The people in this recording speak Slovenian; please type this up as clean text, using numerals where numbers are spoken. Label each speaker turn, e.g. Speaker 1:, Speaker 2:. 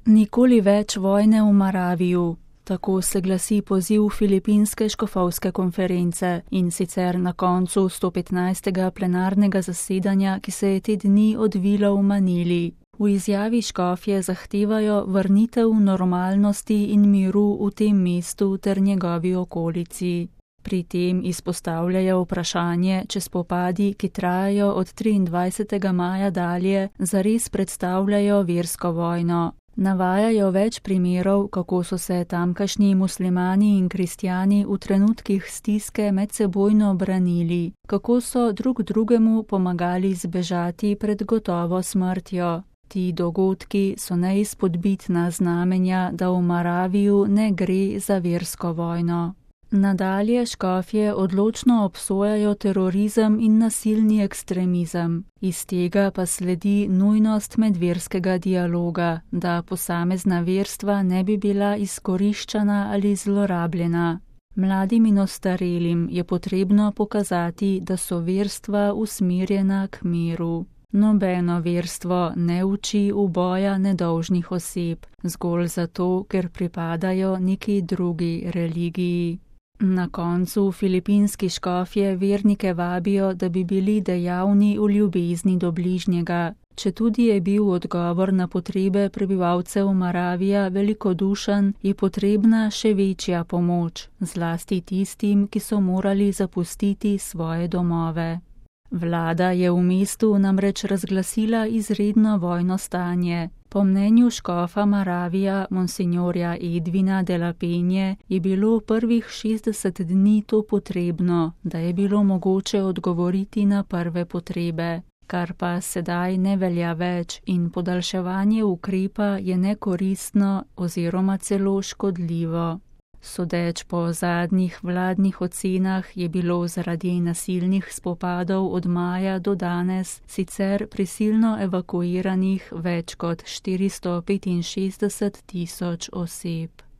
Speaker 1: Nikoli več vojne v Moraviju. Tako se glasi poziv filipinske škofovske konference in sicer na koncu 115. plenarnega zasedanja, ki se je te dni odvilo v Manili. V izjavi škofje zahtevajo vrnitev normalnosti in miru v tem mestu ter njegovi okolici. Pri tem izpostavljajo vprašanje, če spopadi, ki trajajo od 23. maja dalje, zares predstavljajo versko vojno. Navajajo več primerov, kako so se tamkajšnji muslimani in kristjani v trenutkih stiske medsebojno branili, kako so drug drugemu pomagali zbežati pred gotovo smrtjo. Ti dogodki so neizpodbitna znamenja, da v Moraviju ne gre za versko vojno. Nadalje škofje odločno obsojajo terorizem in nasilni ekstremizem. Iz tega pa sledi nujnost medverskega dialoga, da posamezna verstva ne bi bila izkoriščana ali zlorabljena. Mladim in ostarelim je potrebno pokazati, da so verstva usmerjena k miru. Nobeno verstvo ne uči uboja nedolžnih oseb, zgolj zato, ker pripadajo neki drugi religiji. Na koncu filipinski škofje vernike vabijo, da bi bili dejavni v ljubezni do bližnjega. Četudi je bil odgovor na potrebe prebivalcev Moravija velikodušen, je potrebna še večja pomoč, zlasti tistim, ki so morali zapustiti svoje domove. Vlada je v mestu namreč razglasila izredno vojno stanje. Po mnenju škofa Moravija, monsinjorja Edvina de la Penje, je bilo prvih 60 dni to potrebno, da je bilo mogoče odgovoriti na prve potrebe, kar pa sedaj ne velja več in podaljševanje ukrepa je nekoristno oziroma celo škodljivo. Sodeč po zadnjih vladnih ocenah je bilo zaradi nasilnih spopadov od maja do danes sicer prisilno evakuiranih več kot 465 000 oseb.